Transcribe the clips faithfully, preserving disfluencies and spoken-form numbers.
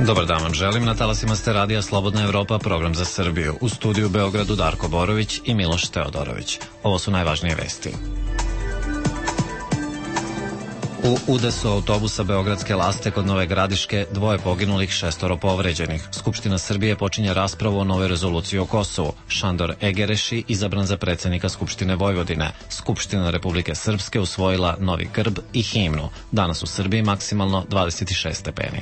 Dobar dan vam želim, na talasima ste radija Slobodna Evropa, program za Srbiju. U studiju u Beogradu Darko Borović i Miloš Teodorović. Ovo su najvažnije vesti. U udesu autobusa Beogradske Laste kod Nove Gradiške dvoje poginulih, šestoro povređenih. Skupština Srbije počinje raspravu o novoj rezoluciji o Kosovu. Šandor Egereši izabran za predsjednika Skupštine Vojvodine. Skupština Republike Srpske usvojila novi grb i himnu. Danas u Srbiji maksimalno dvadeset šest stepeni.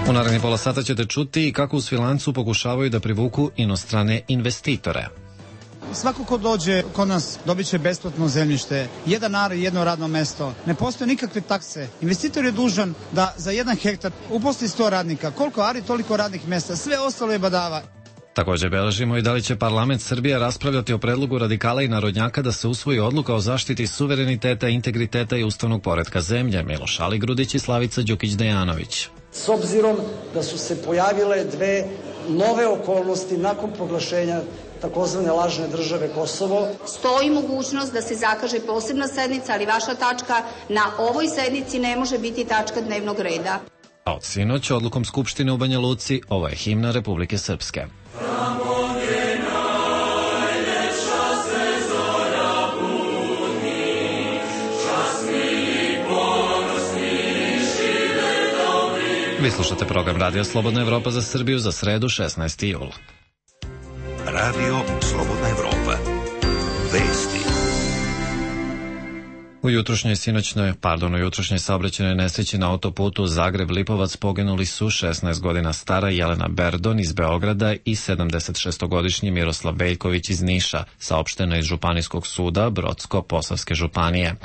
U narednih pola sata ćete čuti i kako u Svilancu pokušavaju da privuku inostrane investitore. Svako ko dođe kod nas dobit će besplatno zemljište, jedan ar i jedno radno mesto. Ne postoje nikakve takse. Investitor je dužan da za jedan hektar uposli sto radnika. Koliko ari, toliko radnih mesta. Sve ostalo je badava. Također beležimo i da li će parlament Srbije raspravljati o predlogu radikala i narodnjaka da se usvoji odluka o zaštiti suvereniteta, integriteta i ustavnog poretka zemlje. Miloš Aligrudić i Slavica Đukić-Dejanović. S obzirom da su se pojavile dve nove okolnosti nakon proglašenja takozvane lažne države Kosovo. Stoji mogućnost da se zakaže posebna sednica, ali vaša tačka na ovoj sednici ne može biti tačka dnevnog reda. A od sinoć odlukom Skupštine u Banja Luci ovo je himna Republike Srpske. Vi slušate program Radija Slobodna Evropa za Srbiju za sredu šesnaesti jul. Radio Slobodna Evropa. Vesti. U jutrošnjoj sinoćnoj, pardon, u jutrošnjoj saobraćajnoj nesreći na autoputu Zagreb-Lipovac poginuli su šesnaest godina stara Jelena Berdon iz Beograda i sedamdesetšestogodišnji Miroslav Veljković iz Niša, saopšteno iz Županijskog suda Brodsko-Posavske županije.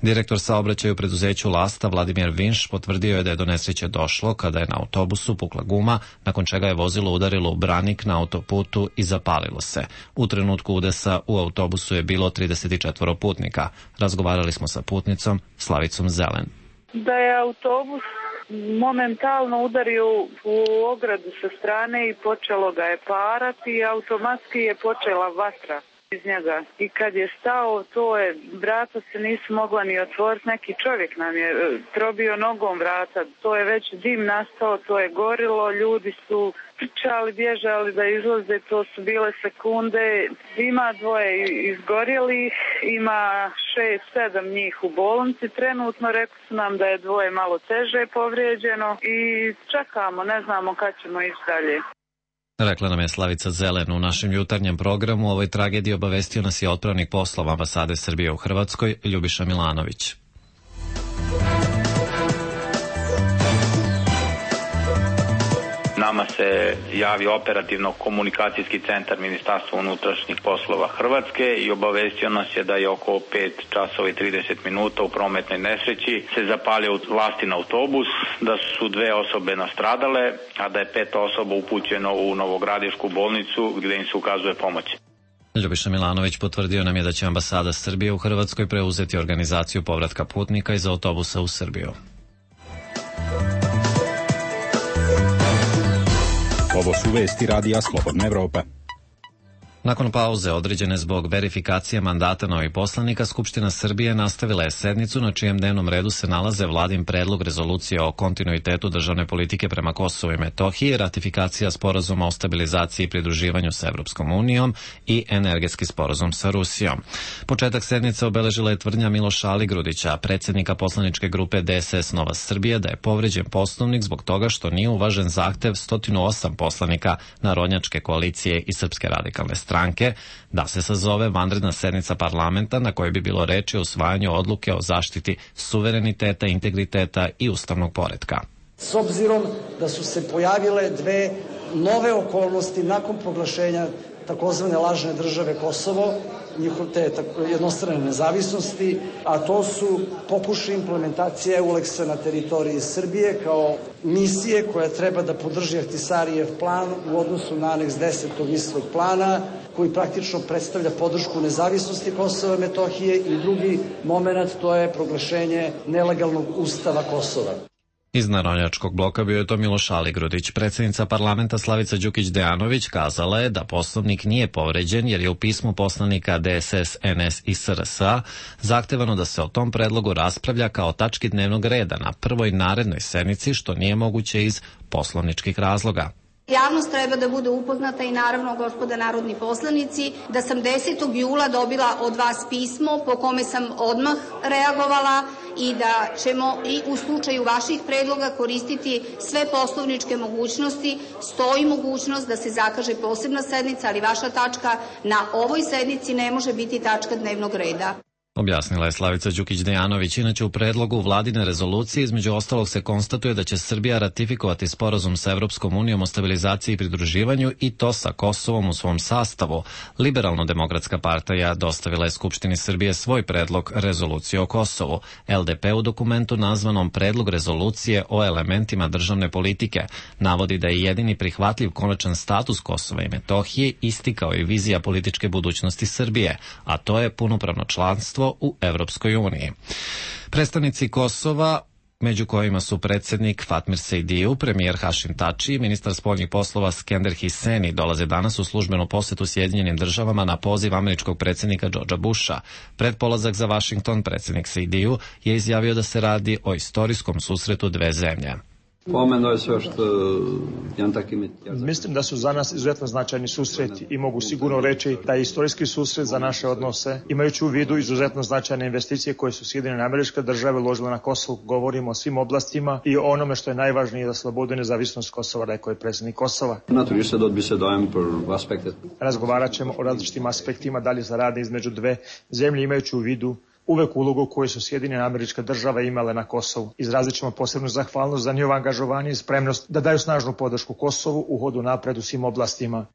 Direktor saobraćaja u preduzeću Lasta Vladimir Vinš potvrdio je da je do nesreće došlo kada je na autobusu pukla guma, nakon čega je vozilo udarilo u branik na autoputu i zapalilo se. U trenutku udesa u autobusu je bilo trideset četiri putnika. Razgovarali smo sa putnicom Slavicom Zelen. Da je autobus momentalno udario u ogradu sa strane i počelo ga je parati i automatski je počela vatra iz njega. I kad je stao, to je, vrata se nisu mogla ni otvoriti, neki čovjek nam je probio nogom vrata, to je već dim nastao, to je gorilo, ljudi su trčali, bježali da izlaze, to su bile sekunde. Ima dvoje izgorjelih, ima šest, sedam njih u bolnici. Trenutno rekli su nam da je dvoje malo teže povrijeđeno i čekamo, ne znamo kad ćemo ići dalje. Rekla nam je Slavica Zelen. U našem jutarnjem programu o ovoj tragediji obavestio nas je otpravnik poslova ambasade Srbije u Hrvatskoj, Ljubiša Milanović. Nama se javio operativno-komunikacijski centar Ministarstva unutrašnjih poslova Hrvatske i obavestio nas je da je oko pet časova i trideset minuta u prometnoj nesreći se zapalio Lastin autobus, da su dve osobe nastradale, a da je pet osoba upućeno u Novogradišku bolnicu gdje im se ukazuje pomoć. Ljubiša Milanović potvrdio nam je da će ambasada Srbije u Hrvatskoj preuzeti organizaciju povratka putnika iz autobusa u Srbiju. Ovo su vesti Radija Slobodna Evropa. Nakon pauze određene zbog verifikacije mandata novih poslanika, Skupština Srbije nastavila je sednicu na čijem dnevnom redu se nalaze Vladin predlog rezolucije o kontinuitetu državne politike prema Kosovu i Metohiji, ratifikacija sporazuma o stabilizaciji i pridruživanju sa Evropskom unijom i energetski sporazum sa Rusijom. Početak sednice obeležila je tvrdnja Miloša Aligrudića, predsjednika poslaničke grupe D S S Nova Srbija, da je povređen Poslovnik zbog toga što nije uvažen zahtev sto osam poslanika Narodnjačke koalicije i Srpske radikalne strane. stranke da se sazove vanredna sednica parlamenta na kojoj bi bilo reči o usvajanju odluke o zaštiti suvereniteta, integriteta i ustavnog poretka. S obzirom da su se pojavile dve nove okolnosti nakon proglašenja takozvane lažne države Kosovo, njihove jednostrane nezavisnosti, a to su pokušaj implementacije EULEX-a na teritoriji Srbije kao misije koja treba da podrži Ahtisarijev plan u odnosu na aneks deset tog istog plana, koji praktično predstavlja podršku nezavisnosti Kosova i Metohije, i drugi moment, to je proglašenje nelegalnog ustava Kosova. Iz Narodnjačkog bloka bio je to Miloš Aligrudić. Predsjednica parlamenta Slavica Đukić-Dejanović kazala je da Poslovnik nije povređen jer je u pismu poslanika D S S, N S i S R S A zahtevano da se o tom predlogu raspravlja kao tački dnevnog reda na prvoj narednoj sednici, što nije moguće iz poslovničkih razloga. Javnost treba da bude upoznata i naravno, gospoda narodni poslanici, da sam desetog jula dobila od vas pismo po kome sam odmah reagovala i da ćemo i u slučaju vaših predloga koristiti sve poslovničke mogućnosti. Stoji mogućnost da se zakaže posebna sednica, ali vaša tačka na ovoj sednici ne može biti tačka dnevnog reda. Objasnila je Slavica Đukić-Dejanović. Inače, u predlogu vladine rezolucije između ostalog se konstatuje da će Srbija ratifikovati sporazum sa Evropskom unijom o stabilizaciji i pridruživanju i to sa Kosovom u svom sastavu. Liberalno-demokratska partija dostavila je Skupštini Srbije svoj predlog rezolucije o Kosovu. L D P u dokumentu nazvanom Predlog rezolucije o elementima državne politike navodi da je jedini prihvatljiv konačan status Kosova i Metohije isti kao i vizija političke budućnosti Srbije, a to je punopravno članstvo u Evropskoj uniji. Predstavnici Kosova, među kojima su predsjednik Fatmir Sejdiju, premijer Hašim Tači i ministar spoljnih poslova Skender Hiseni, dolaze danas u službenu posetu Sjedinjenim državama na poziv američkog predsjednika Georgea Busha. Pred polazak za Vašington predsjednik Sejdiju je izjavio da se radi o istorijskom susretu dve zemlje. Pomenuo je sve što jedan tak ime... Mislim da su za nas izuzetno značajni susreti i mogu sigurno reći da je istorijski susret za naše odnose, imajući u vidu izuzetno značajne investicije koje su Sjedinjene Američke Države uložile na Kosovu. Govorimo o svim oblastima i o onome što je najvažnije za slobodu i nezavisnost Kosova, rekao je predsjednik Kosova. Razgovarat ćemo o različitim aspektima dalje saradnje između dve zemlje, imajući u vidu uvek ulogu koju su Sjedinjene Američke Države imale na Kosovu. Izrazit ćemo posebnu zahvalnost za njihovo angažovanje i spremnost da daju snažnu podršku Kosovu u hodu napred u svim oblastima.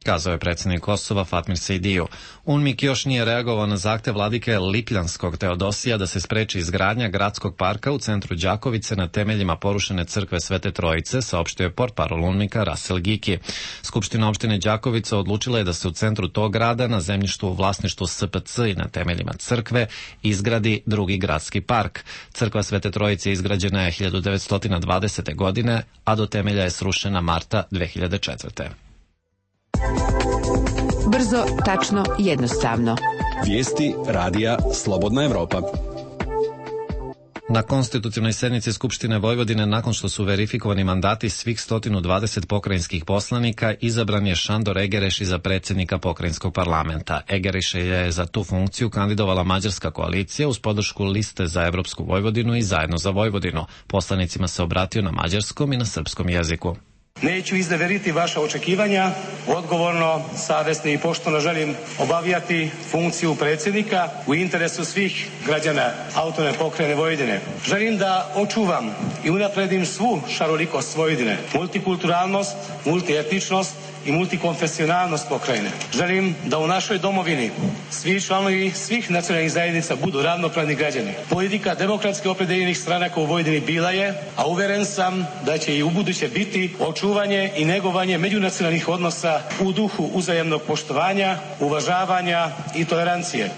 Kazao je predsjednik Kosova Fatmir Sejdiju. UNMIK još nije reagovao na zahtev vladike Lipljanskog Teodosija da se spreči izgradnja gradskog parka u centru Đakovice na temeljima porušene crkve Svete Trojice, saopštio je portparol UNMIK-a Rasel Giki. Skupština opštine Đakovica odlučila je da se u centru tog grada, na zemljištu u vlasništvu S P C i na temeljima crkve, izgradi drugi gradski park. Crkva Svete Trojice izgrađena je hiljadu devetsto dvadesete. godine, a do temelja je srušena marta dve hiljade četvrte. Brzo, tačno, jednostavno. Vijesti radija Slobodna Evropa. Na konstitutivnoj sednici Skupštine Vojvodine, nakon što su verifikovani mandati svih sto dvadeset pokrajinskih poslanika, izabran je Šandor Egereši za predsjednika pokrajinskog parlamenta. Egereši je za tu funkciju kandidovala mađarska koalicija uz podršku Liste za Evropsku Vojvodinu i Zajedno za Vojvodinu. Poslanicima se obratio na mađarskom i na srpskom jeziku. Neću izneveriti vaša očekivanja, odgovorno, savjesno i pošteno želim obavljati funkciju predsjednika u interesu svih građana autonomne pokrajine Vojvodine. Želim da očuvam i unapredim svu šarolikost Vojvodine, multikulturalnost, multietničnost i multikonfesionalnost pokrajine. Želim da u našoj domovini svi članovi svih nacionalnih zajednica budu ravnopravni građani. Politika demokratski opredeljenih stranaka u Vojvodini bila je, a uveren sam da će i ubuduće biti, očuvanje i negovanje međunacionalnih odnosa u duhu uzajamnog poštovanja, uvažavanja i tolerancije.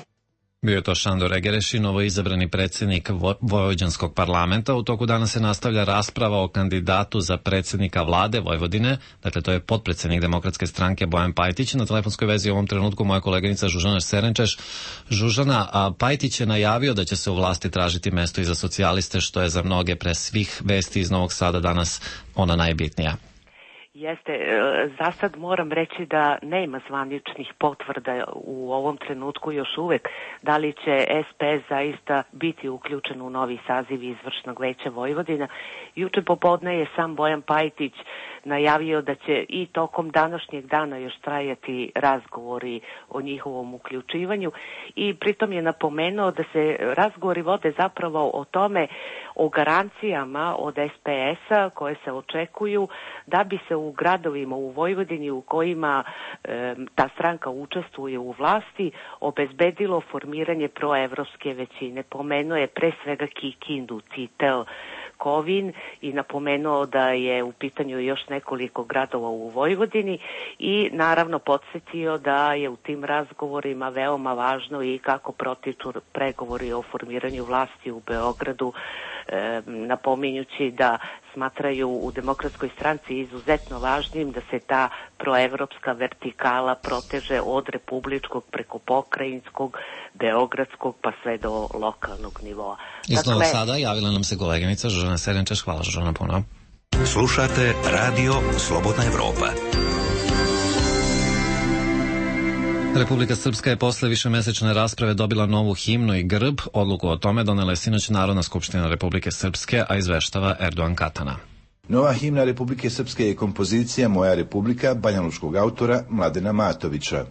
Bio je to Šandor Egereši, novoizabrani predsjednik vo- Vojvođanskog parlamenta. U toku dana se nastavlja rasprava o kandidatu za predsjednika vlade Vojvodine. Dakle, to je potpredsjednik Demokratske stranke Bojan Pajtić. Na telefonskoj vezi u ovom trenutku moja koleginica Žužana Serenčeš. Žužana, a Pajtić je najavio da će se u vlasti tražiti mesto i za socijaliste, što je za mnoge pre svih vesti iz Novog Sada danas ona najbitnija. Jeste, za sad moram reći da nema zvaničnih potvrda u ovom trenutku još uvek da li će S P S zaista biti uključen u novi saziv izvršnog veća Vojvodina. Juče popodne je sam Bojan Pajtić najavio da će i tokom današnjeg dana još trajati razgovori o njihovom uključivanju i pritom je napomenuo da se razgovori vode zapravo o tome, o garancijama od S P S-a koje se očekuju da bi se u gradovima u Vojvodini u kojima e, ta stranka učestvuje u vlasti obezbedilo formiranje proevropske većine. Pomenuo je pre svega Kikindu, Titel, Kovin i napomenuo da je u pitanju još nekoliko gradova u Vojvodini i naravno podsjetio da je u tim razgovorima veoma važno i kako protiču pregovori o formiranju vlasti u Beogradu, e, napominjući da smatraju u Demokratskoj stranci izuzetno važnim da se ta proevropska vertikala proteže od republičkog preko pokrajinskog, beogradskog pa sve do lokalnog nivoa. Iz Novog Sada javila nam se koleginica Žožana Serenčeš. Hvala Žožana puno. Slušate Radio Slobodna Evropa. Republika Srpska je posle višemesečne rasprave dobila novu himnu i grb. Odluku o tome donela je sinoć Narodna skupština Republike Srpske, a izveštava Erdogan Katana. Nova himna Republike Srpske je kompozicija Moja Republika banjalučkog autora Mladena Matovića.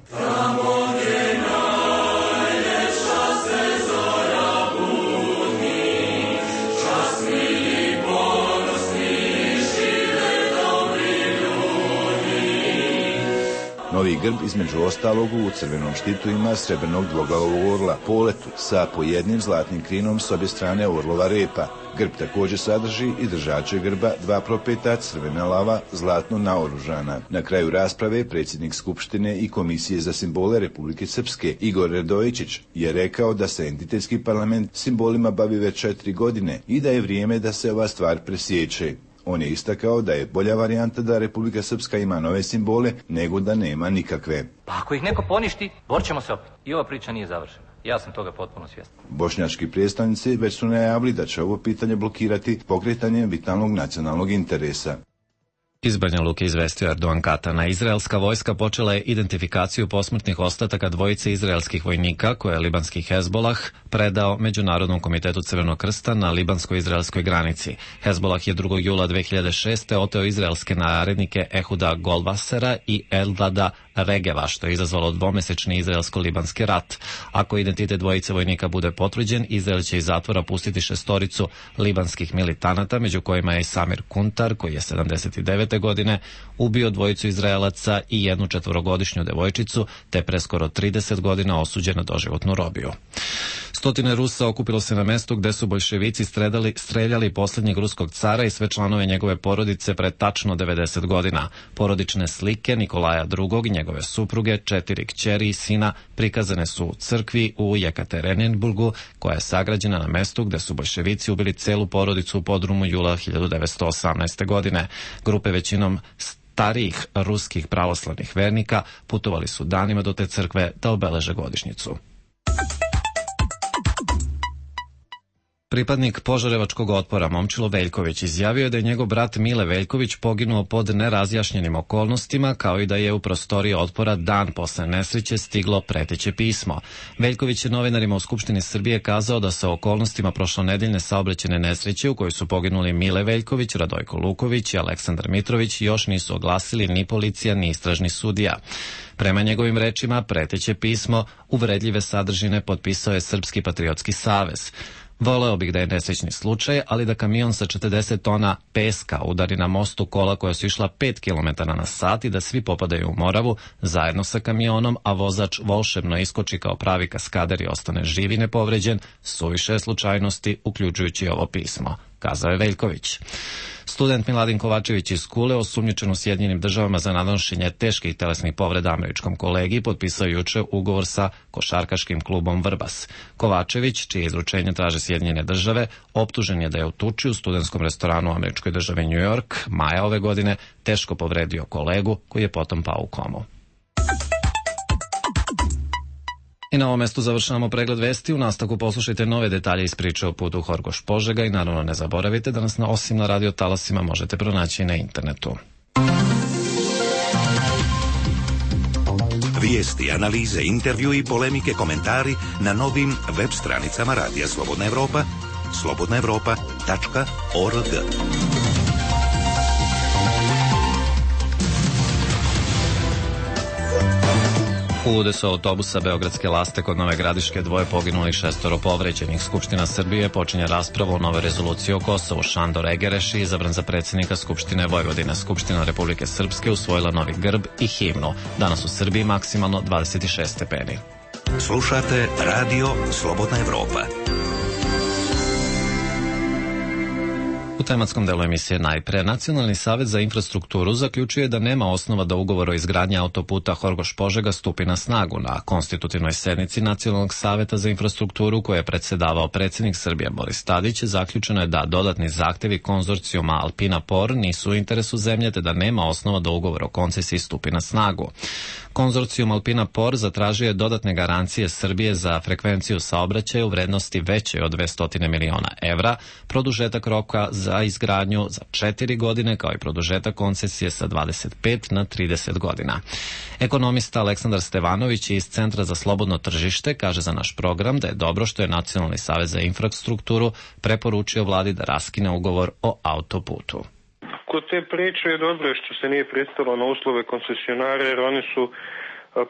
Novi grb između ostalog u crvenom štitu ima srebrnog dvoglavog orla poletu sa po jednim zlatnim krinom s obje strane orlova repa. Grb također sadrži i držače grba, dva propeta, crvena lava, zlatno naoružana. Na kraju rasprave predsjednik Skupštine i Komisije za simbole Republike Srpske Igor Radojičić je rekao da se entitetski parlament simbolima bavi već četiri godine i da je vrijeme da se ova stvar presječe. On je istakao da je bolja varijanta da Republika Srpska ima nove simbole nego da nema nikakve. Pa ako ih neko poništi, borit ćemo se opet. I ova priča nije završena. Ja sam toga potpuno svjestan. Bošnjački predstavnici već su najavili da će ovo pitanje blokirati pokretanjem vitalnog nacionalnog interesa. Iz Banja Luke izvestio Erdogan Katana. Izraelska vojska počela je identifikaciju posmrtnih ostataka dvojice izraelskih vojnika koje je libanski Hezbolah predao Međunarodnom komitetu Crvenog krsta na libansko-izraelskoj granici. Hezbolah je drugog jula dve hiljade šeste. oteo izraelske narednike Ehuda Golvasera i Eldada Regeva, što je izazvalo dvomesečni izraelsko-libanski rat. Ako identitet dvojice vojnika bude potvrđen, Izrael će iz zatvora pustiti šestoricu libanskih militanata, među kojima je i Samir Kuntar, koji je sedamdeset devete godine ubio dvojicu Izraelaca i jednu četvorogodišnju devojčicu, te preskoro trideset godina osuđen na doživotnu robiju. Stotine Rusa okupilo se na mestu gde su boljševici streljali, streljali posljednjeg ruskog cara i sve članove njegove porodice pre tačno devedeset godina. Porodične slike Nikolaja drugog i njegove supruge, četiri kćeri i sina prikazane su u crkvi u Jekaterinburgu, koja je sagrađena na mestu gde su boljševici ubili celu porodicu u podrumu jula hiljadu devetsto osamnaeste. godine. Grupe većinom starijih ruskih pravoslavnih vernika putovali su danima do te crkve da obeleže godišnjicu. Pripadnik Požarevačkog otpora Momčilo Veljković izjavio je da je njegov brat Mile Veljković poginuo pod nerazjašnjenim okolnostima, kao i da je u prostoriji otpora dan posle nesreće stiglo preteće pismo. Veljković je novinarima u Skupštini Srbije kazao da se o okolnostima prošlonedeljne saobraćajne nesreće u kojoj su poginuli Mile Veljković, Radojko Luković i Aleksandar Mitrović još nisu oglasili ni policija ni istražni sudija. Prema njegovim rečima, preteće pismo uvredljive sadržine potpisao je Srpski patriotski savez. Voleo bih da je nesrećni slučaj, ali da kamion sa četrdeset tona peska udari na mostu kola koja su išla pet kilometara na sat i da svi popadaju u Moravu zajedno sa kamionom, a vozač volšebno iskoči kao pravi kaskader i ostane živ i nepovređen, suviše slučajnosti, uključujući ovo pismo, kazao je Veljković. Student Miladin Kovačević iz Kule, osumnjičen u Sjedinjenim državama za nanošenje teških telesnih povreda američkom kolegi, potpisao juče ugovor sa košarkaškim klubom Vrbas. Kovačević, čije izručenje traže Sjedinjene države, optužen je da je u tuči u studentskom restoranu u američkoj državi New York maja ove godine teško povredio kolegu koji je potom pao u komu. I na ovom mestu završavamo pregled vesti. U nastavku poslušajte nove detalje iz priče o putu Horgoš-Požega i naravno ne zaboravite da nas na, osim na radio talasima možete pronaći i na internetu. Vijesti, analize, intervju i polemike, komentari na novim web stranicama Radija Slobodna Evropa, slobodna evropa tačka org. U udesu autobusa Beogradske Laste kod Nove Gradiške dvoje poginuli, šestoro povređenih. Skupština Srbije počinje raspravu o nove rezoluciji o Kosovu. Šandor Egereš je izabran za predsjednika Skupštine Vojvodine. Skupština Republike Srpske usvojila novi grb i himnu. Danas u Srbiji maksimalno dvadeset šest stepeni. Slušate Radio Slobodna Evropa. U tematskom delu emisije najpre, Nacionalni savet za infrastrukturu zaključuje da nema osnova da ugovor o izgradnji autoputa Horgoš-Požega stupi na snagu. Na konstitutivnoj sednici Nacionalnog saveta za infrastrukturu, koje je predsedavao predsjednik Srbije Boris Tadić, zaključeno je da dodatni zahtevi konzorcijuma Alpina Por nisu u interesu zemlje, te da nema osnova da ugovor o koncesiji stupi na snagu. Konzorcijum Alpina Por zatražio je dodatne garancije Srbije za frekvenciju saobraćaja u vrednosti veće od dvesta miliona evra, produžetak roka za izgradnju za četiri godine, kao i produžetak koncesije sa dvadeset pet na trideset godina. Ekonomista Aleksandar Stevanović iz Centra za slobodno tržište kaže za naš program da je dobro što je Nacionalni savez za infrastrukturu preporučio vladi da raskine ugovor o autoputu. Kod te priče je dobro što se nije pristalo na uslove koncesionara, jer oni su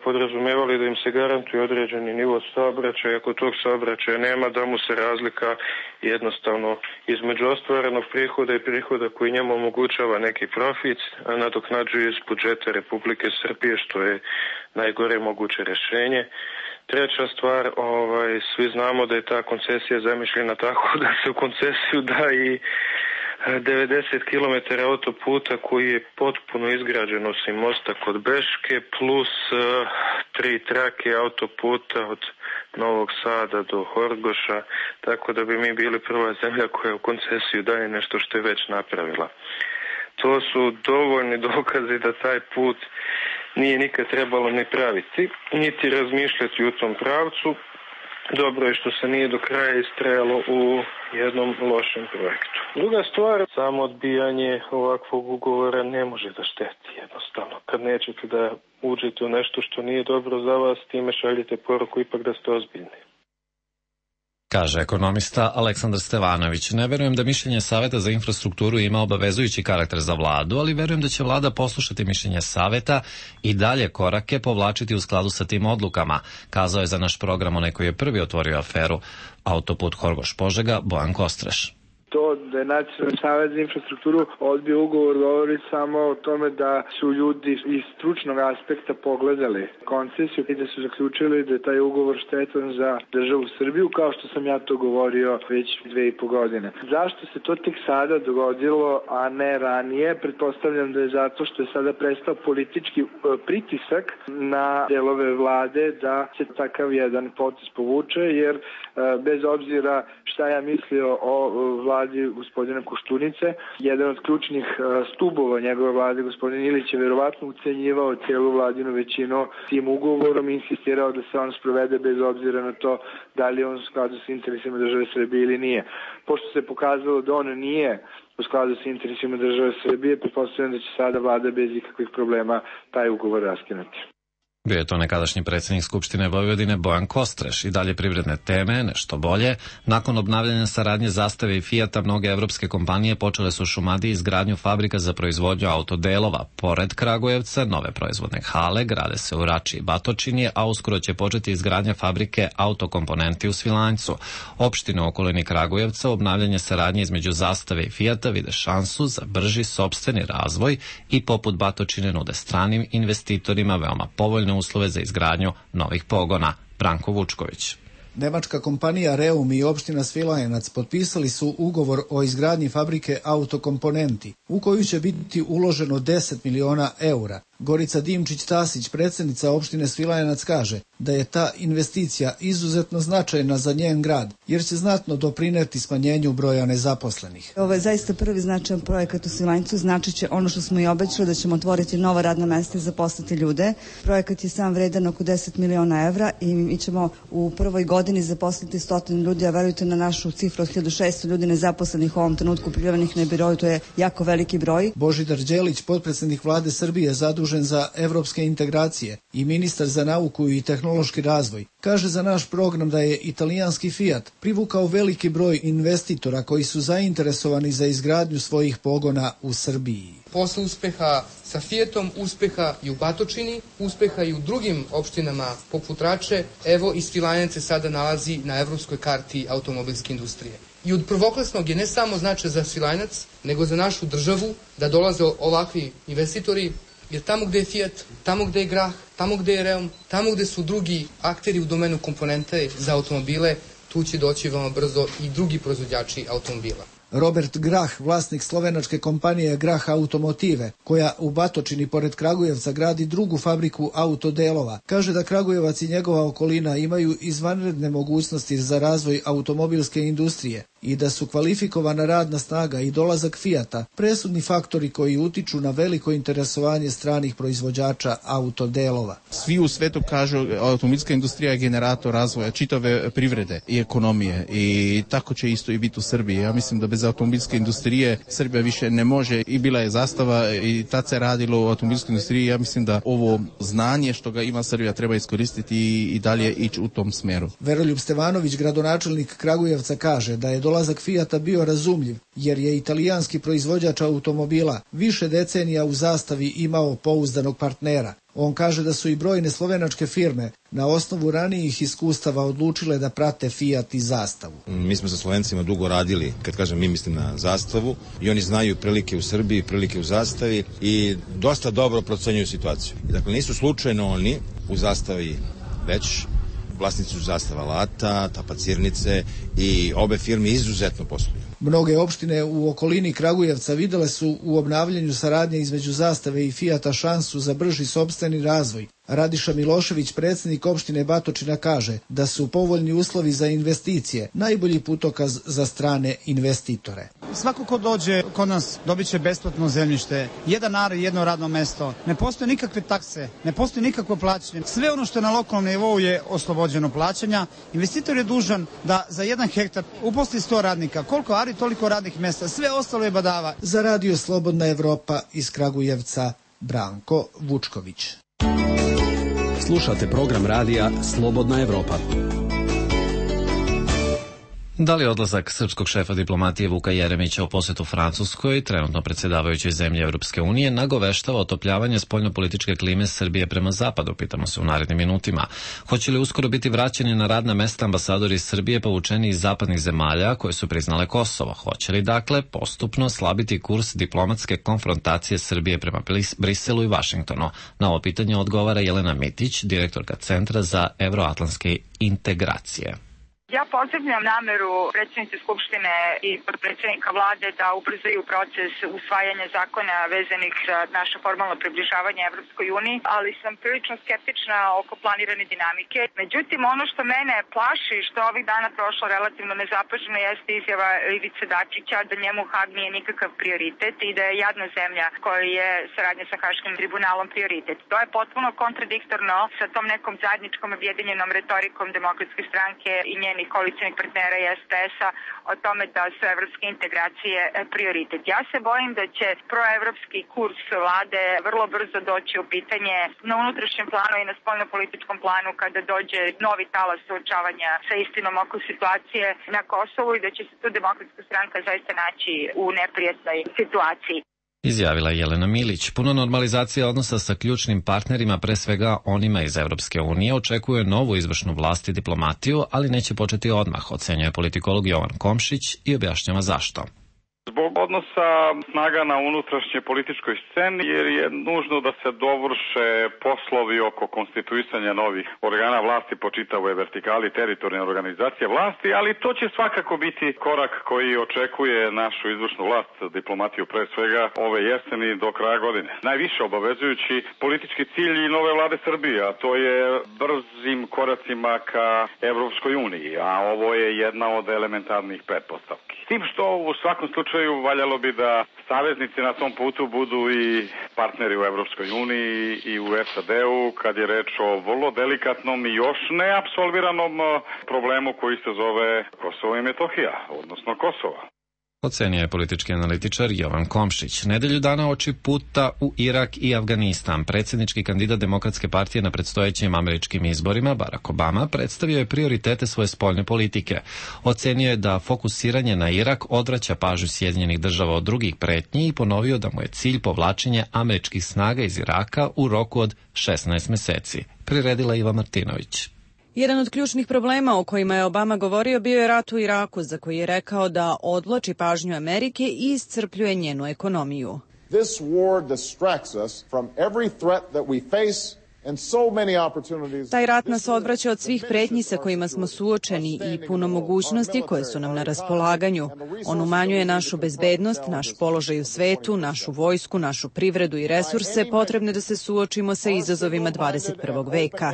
podrazumevali da im se garantuje određeni nivo saobraćaja. Ako tog saobraćaja nema, da mu se razlika jednostavno između ostvarenog prihoda i prihoda koji njemu omogućava neki profit, a nadoknađuje iz budžeta Republike Srbije, što je najgore moguće rješenje. Treća stvar, ovaj, svi znamo da je ta koncesija zamišljena tako da se u koncesiju da i devedeset kilometara autoputa koji je potpuno izgrađen osim mosta kod Beške, plus uh, tri trake autoputa od Novog Sada do Horgoša, tako da bi mi bili prva zemlja koja u koncesiju daje nešto što je već napravila. To su dovoljni dokazi da taj put nije nikad trebalo ni praviti, niti razmišljati u tom pravcu. Dobro je što se nije do kraja istrajalo u jednom lošem projektu. Druga stvar, samo odbijanje ovakvog ugovora ne može da šteti jednostavno. Kad nećete da uđete u nešto što nije dobro za vas, time šaljete poruku ipak da ste ozbiljni. Kaže ekonomista Aleksandar Stevanović. Ne verujem da mišljenje Saveta za infrastrukturu ima obavezujući karakter za vladu, ali verujem da će vlada poslušati mišljenje Saveta i dalje korake povlačiti u skladu sa tim odlukama, kazao je za naš program onaj koji je prvi otvorio aferu autoput Horgoš-Požega, Bojan Kostreš. To da je Nacionalni savet za infrastrukturu odbio ugovor govori samo o tome da su ljudi iz stručnog aspekta pogledali koncesiju i da su zaključili da je taj ugovor štetan za državu Srbiju, kao što sam ja to govorio već dve i po godine. Zašto se to tek sada dogodilo, a ne ranije? Pretpostavljam da je zato što je sada prestao politički pritisak na delove vlade da se takav jedan potez povuče, jer bez obzira šta ja mislio o vladi gospodina Koštunice, jedan od ključnih stubova njegove vlade, gospodin Ilić, je verovatno ucenjivao cijelu vladinu većinu tim ugovorom i insistirao da se on sprovede bez obzira na to da li je on u skladu sa interesima države Srbije ili nije. Pošto se pokazalo da on nije u skladu sa interesima države Srbije, pretpostavljam da će sada vlada bez ikakvih problema taj ugovor raskinuti. Bio je to nekadašnji predsjednik Skupštine Vojvodine Bojan Kostreš. I dalje privredne teme, nešto bolje. Nakon obnavljanja saradnje Zastave i Fijata, mnoge evropske kompanije počele su u Šumadiji izgradnju fabrika za proizvodnju autodelova. Pored Kragujevca, nove proizvodne hale grade se u Rači i Batočini, a uskoro će početi izgradnja fabrike autokomponenti u Svilajncu. Opštine u okolini Kragujevca obnavljanje saradnje između Zastave i Fijata vide šansu za brži sopstveni razvoj i poput Batočine nude stranim investitorima veoma povoljno uslove za izgradnju novih pogona. Branko Vučković. Nemačka kompanija Reum i opština Svilajnac potpisali su ugovor o izgradnji fabrike autokomponenti, u koju će biti uloženo deset miliona eura. Gorica Dimčić-Tasić, predsjednica opštine Svilajnac, kaže da je ta investicija izuzetno značajna za njen grad, jer će znatno doprineti smanjenju broja nezaposlenih. Ovo je zaista prvi značajan projekat u Svilajncu, znači će ono što smo i obećali, da ćemo otvoriti nova radna mesta i zaposliti ljude. Projekat je sam vredan oko deset miliona evra i mi ćemo u prvoj godini zaposliti stotinu ljudi, a verujte na našu cifru od hiljadu šesto ljudi nezaposlenih u ovom trenutku prijavljenih na birou, to je jako veliki broj. Božidar Đelić, potpredsjednik vlade Srbije zadužen za evropske integracije i ministar za nauku i tehnološki razvoj, kaže za naš program da je italijanski Fiat privukao veliki broj investitora koji su zainteresovani za izgradnju svojih pogona u Srbiji. Posle uspeha sa Fiatom, uspeha i u Batočini, uspeha i u drugim opštinama poput Rače, evo i Svilajnac se sada nalazi na evropskoj karti automobilske industrije. I od prvoklasnog je ne samo značaj za Svilajnac, nego za našu državu da dolaze ovakvi investitori, jer tamo gde je Fiat, tamo gde je Grah, tamo gde je Reum, tamo gde su drugi akteri u domenu komponente za automobile, tu će doći veoma brzo i drugi proizvođači automobila. Robert Grah, vlasnik slovenačke kompanije Grah Automotive, koja u Batočini pored Kragujevca gradi drugu fabriku autodelova, kaže da Kragujevac i njegova okolina imaju izvanredne mogućnosti za razvoj automobilske industrije i da su kvalifikovana radna snaga i dolazak Fijata presudni faktori koji utiču na veliko interesovanje stranih proizvođača autodelova. Svi u svetu kažu automobilska industrija je generator razvoja čitave privrede i ekonomije i tako će isto i biti u Srbiji. Ja mislim da bez automobilske industrije Srbija više ne može i bila je zastava i tad se radilo u automobilskoj industriji. Ja mislim da ovo znanje što ga ima Srbija treba iskoristiti i, i dalje ići u tom smeru. Veroljub Stevanović, gradonačelnik Kragujevca, kaže da je dolazak Fijata bio razumljiv jer je italijanski proizvođač automobila više decenija u zastavi imao pouzdanog partnera. On kaže da su i brojne slovenačke firme na osnovu ranijih iskustava odlučile da prate Fijat i zastavu. Mi smo sa Slovencima dugo radili, kad kažem mi mislim na zastavu, i oni znaju prilike u Srbiji, prilike u zastavi i dosta dobro procenjuju situaciju. Dakle, nisu slučajno oni u zastavi već vlasnici su zastava Lata, Tapacirnice i obe firme izuzetno posluju. Mnoge opštine u okolini Kragujevca videle su u obnavljanju saradnje između zastave i Fijata šansu za brži sopstveni razvoj. Radiša Milošević, predsjednik opštine Batočina, kaže da su povoljni uslovi za investicije najbolji putokaz za strane investitore. Svako ko dođe kod nas dobit će besplatno zemljište, jedan ar i jedno radno mesto. Ne postoje nikakve takse, ne postoje nikakvo plaćanje. Sve ono što je na lokalnom nivou je oslobođeno plaćanja. Investitor je dužan da za jedan hektar uposli sto radnika. Koliko ari, toliko radnih mesta. Sve ostalo je badava. Za Radio Slobodna Evropa iz Kragujevca, Branko Vučković. Slušate program radija Slobodna Evropa. Da li odlazak srpskog šefa diplomatije Vuka Jeremića u posetu Francuskoj, trenutno predsjedavajućoj zemlji Evropske unije, nagoveštava otopljavanje spoljnopolitičke klime Srbije prema zapadu, pitamo se u narednim minutima. Hoće li uskoro biti vraćeni na radna mesta ambasadori Srbije povučeni iz zapadnih zemalja koje su priznale Kosovo? Hoće li, dakle, postupno slabiti kurs diplomatske konfrontacije Srbije prema Briselu i Vašingtonu? Na ovo pitanje odgovara Jelena Mitić, direktorka Centra za evroatlantske integracije. Ja pozdravljam nameru predsjednice Skupštine i podpredsjednika vlade da ubrzaju proces usvajanja zakona vezanih za naše formalno približavanje Evropskoj uniji, ali sam prilično skeptična oko planirane dinamike. Međutim, ono što mene plaši, što ovih dana prošlo relativno nezapaženo, jeste izjava Ivice Dačića da njemu Hag nije nikakav prioritet i da je jadna zemlja koja je saradnja sa Haškim tribunalom prioritet. To je potpuno kontradiktorno sa tom nekom zajedničkom objedinjenom retorikom Demokratske stranke i njeni koalicijnih partnera i es pe es-a o tome da su evropske integracije prioritet. Ja se bojim da će proevropski kurs vlade vrlo brzo doći u pitanje na unutrašnjem planu i na spoljnopolitičkom planu kada dođe novi talas suočavanja sa istinom oko situacije na Kosovu i da će se tu Demokratska stranka zaista naći u neprijatnoj situaciji. Izjavila Jelena Milić. Puno normalizacija odnosa sa ključnim partnerima, pre svega onima iz Evropske unije, očekuje novu izvršnu vlast i diplomatiju, ali neće početi odmah, ocenjuje politikolog Jovan Komšić i objašnjava zašto. Zbog odnosa snaga na unutrašnje političkoj sceni, jer je nužno da se dovrše poslovi oko konstituisanja novih organa vlasti po čitavoj vertikali teritorijalne organizacije vlasti, ali to će svakako biti korak koji očekuje našu izvršnu vlast, diplomatiju pre svega ove jeseni do kraja godine. Najviše obavezujući politički cilj i nove vlade Srbije, a to je brzim koracima ka Evropskoj uniji, a ovo je jedna od elementarnih pretpostavki. S tim što u svakom slučaju valjalo bi da saveznici na tom putu budu i partneri u Evropskoj uniji i u es a de-u kad je reč o vrlo delikatnom i još neapsolviranom problemu koji se zove Kosovo i Metohija, odnosno Kosova. Ocenio je politički analitičar Jovan Komšić. Nedelju dana oči puta u Irak i Afganistan. Predsjednički kandidat Demokratske partije na predstojećim američkim izborima, Barack Obama, predstavio je prioritete svoje spoljne politike. Ocenio je da fokusiranje na Irak odvraća pažnju Sjedinjenih država od drugih pretnji i ponovio da mu je cilj povlačenje američkih snaga iz Iraka u roku od šesnaest meseci. Priredila Iva Martinović. Jedan od ključnih problema o kojima je Obama govorio bio je rat u Iraku, za koji je rekao da odvlači pažnju Amerike i iscrpljuje njenu ekonomiju. This war distracts us from every threat that we face Taj rat nas odvraća od svih pretnji sa kojima smo suočeni i puno mogućnosti koje su nam na raspolaganju. On umanjuje našu bezbednost, naš položaj u svetu, našu vojsku, našu privredu i resurse potrebne da se suočimo sa izazovima dvadeset prvog veka.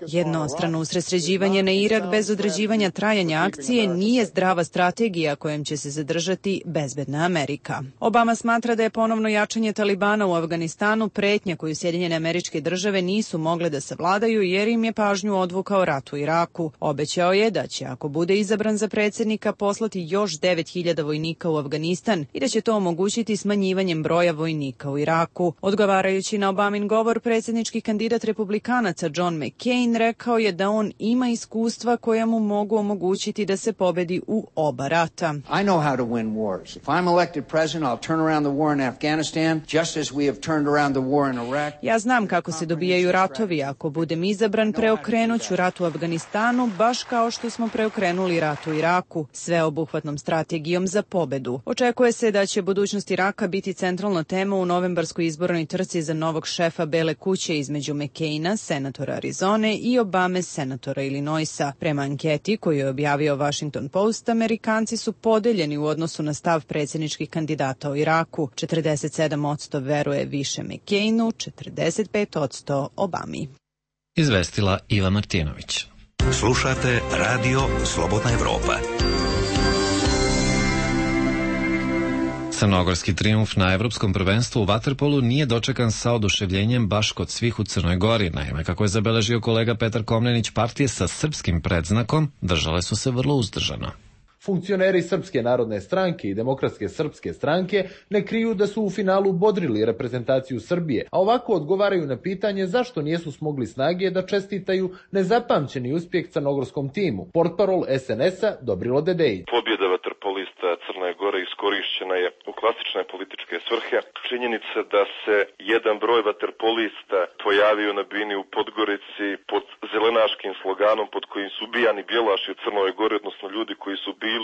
Jednostrano usredsređivanje na Irak bez određivanja trajanja akcije nije zdrava strategija kojom će se zadržati bezbedna Amerika. Obama smatra da je ponovno jačanje Talibana u Afganistanu pretnja koju Sjedinjene Američke Države nisu mogle da savladaju jer im je pažnju odvukao rat u Iraku. Obećao je da će, ako bude izabran za predsjednika, poslati još devet hiljada vojnika u Afganistan i da će to omogućiti smanjivanjem broja vojnika u Iraku. Odgovarajući na Obamin govor, predsjednički kandidat republikanaca John McCain rekao je da on ima iskustva koja mu mogu omogućiti da se pobedi u oba rata. I know how to win wars. If I'm elected president, I'll turn around the war in Afghanistan just as we have turned around the war in Iraq. Ja znam kako se dobijaju ratovi. Ako budem izabran, preokrenuću rat u Afganistanu baš kao što smo preokrenuli rat u Iraku, sveobuhvatnom strategijom za pobedu. Očekuje se da će budućnost Iraka biti centralna tema u novembarskoj izbornoj trci za novog šefa Bele kuće između McCaina, senatora Arizone, i Obame, senatora Illinoisa. Prema anketi koju je objavio Washington Post, Amerikanci su podeljeni u odnosu na stav predsjedničkih kandidata o Iraku. četrdeset sedam posto veruje više McCainu, četrdeset pet posto Obami. Izvestila Iva Martinović. Slušate Radio Slobodna Evropa. Crnogorski trijumf na Evropskom prvenstvu u vaterpolu nije dočekan sa oduševljenjem baš kod svih u Crnoj Gori. Naime, kako je zabeležio kolega Petar Komnenić, partije sa srpskim predznakom držale su se vrlo uzdržano. Funkcioneri Srpske narodne stranke i Demokratske srpske stranke ne kriju da su u finalu bodrili reprezentaciju Srbije, a ovako odgovaraju na pitanje zašto nijesu smogli snage da čestitaju nezapamćeni uspjeh crnogorskom timu. Portparol es en es a Dobrilo Dedejić. Pobjeda vaterpolista Crne Gore iskorišćena je u klasične političke svrhe. Činjenica da se jedan broj vaterpolista pojavio na bini u Podgorici pod zelenaškim sloganom pod kojim su ubijani bjelaši u Crnoj Gori, odnosno ljudi koji su bili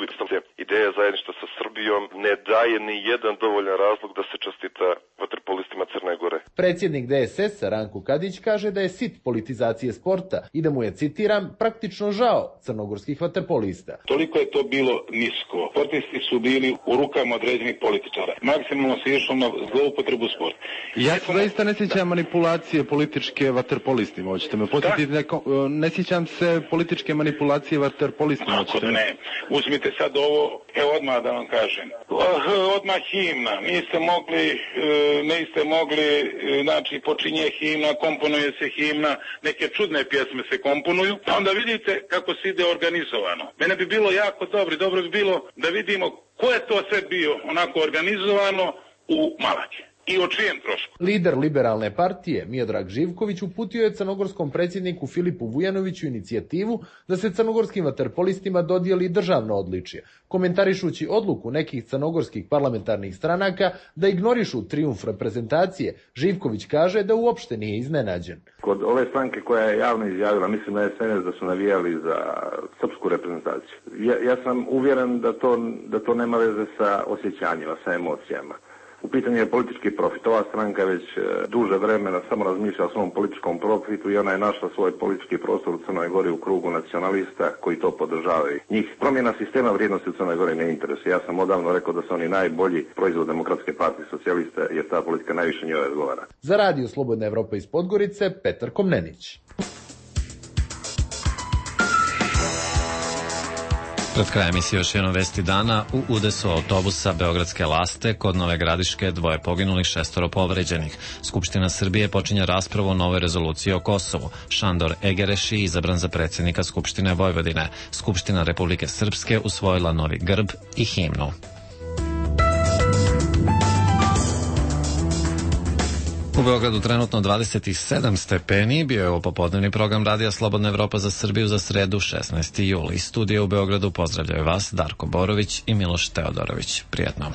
ideja zajedništva sa Srbijom, ne daje ni jedan dovoljan razlog da se čestita vaterpolistima Crne Gore. Predsjednik de es es Ranko Kadić kaže da je sit politizacije sporta i da mu je, citiram, praktično žao crnogorskih vaterpolista. Toliko je to bilo nisko. Sportisti su bili u rukama određenih političara. Maksimalno se išlo na zloupotrebu sporta. Ja se zaista ne sjećam manipulacije političke vaterpolistima, hoćete me podsjetiti, neko, ne sjećam se političke manipulacije vaterpolistima, hoćete me. Ne, uzmite sad ovo, evo odmah da vam kažem. Odmah himna, niste mogli, niste mogli, znači počinje himna, komponuje se himna, neke čudne pjesme se komponuju, a onda vidite kako se ide organizovano. Mene bi bilo jako dobro, dobro bi bilo da vidimo ko je to sve bio onako organizovano u Malaki. I o čijem trošku? Lider liberalne partije, Miodrag Živković, uputio je crnogorskom predsjedniku Filipu Vujanoviću inicijativu da se crnogorskim vaterpolistima dodijeli državno odličje, komentarišući odluku nekih crnogorskih parlamentarnih stranaka da ignorišu trijumf reprezentacije. Živković kaže da uopšte nije iznenađen. Kod ove stranke koja je javno izjavila, mislim na es en es, da su navijali za srpsku reprezentaciju. Ja, ja sam uvjeren da to, da to nema veze sa osjećanjima, sa emocijama. U pitanju je politički profit. Ova stranka već duže vremena samo razmišlja o svom političkom profitu i ona je našla svoj politički prostor u Crnoj Gori u krugu nacionalista koji to podržavaju. Njih promjena sistema vrijednosti u Crnoj Gori ne interesuje. Ja sam odavno rekao da su oni najbolji proizvod Demokratske partije socijalista jer ta politika najviše njoj odgovara. Za Radio Slobodna Evropa iz Podgorice, Petar Komnenić. Pred krajem emisije još jedno vesti dana. U udesu autobusa Beogradske Laste kod Nove Gradiške dvoje poginulih, šestoro povređenih. Skupština Srbije počinje raspravu o novoj rezoluciji o Kosovu. Šandor Egereši izabran za predsjednika Skupštine Vojvodine. Skupština Republike Srpske usvojila novi grb i himnu. U Beogradu trenutno dvadeset sedam stepeni, bio je ovo popodnevni program Radija Slobodna Evropa za Srbiju za sredu šesnaesti juli. Studije u Beogradu pozdravljaju vas Darko Borović i Miloš Teodorović. Prijetno.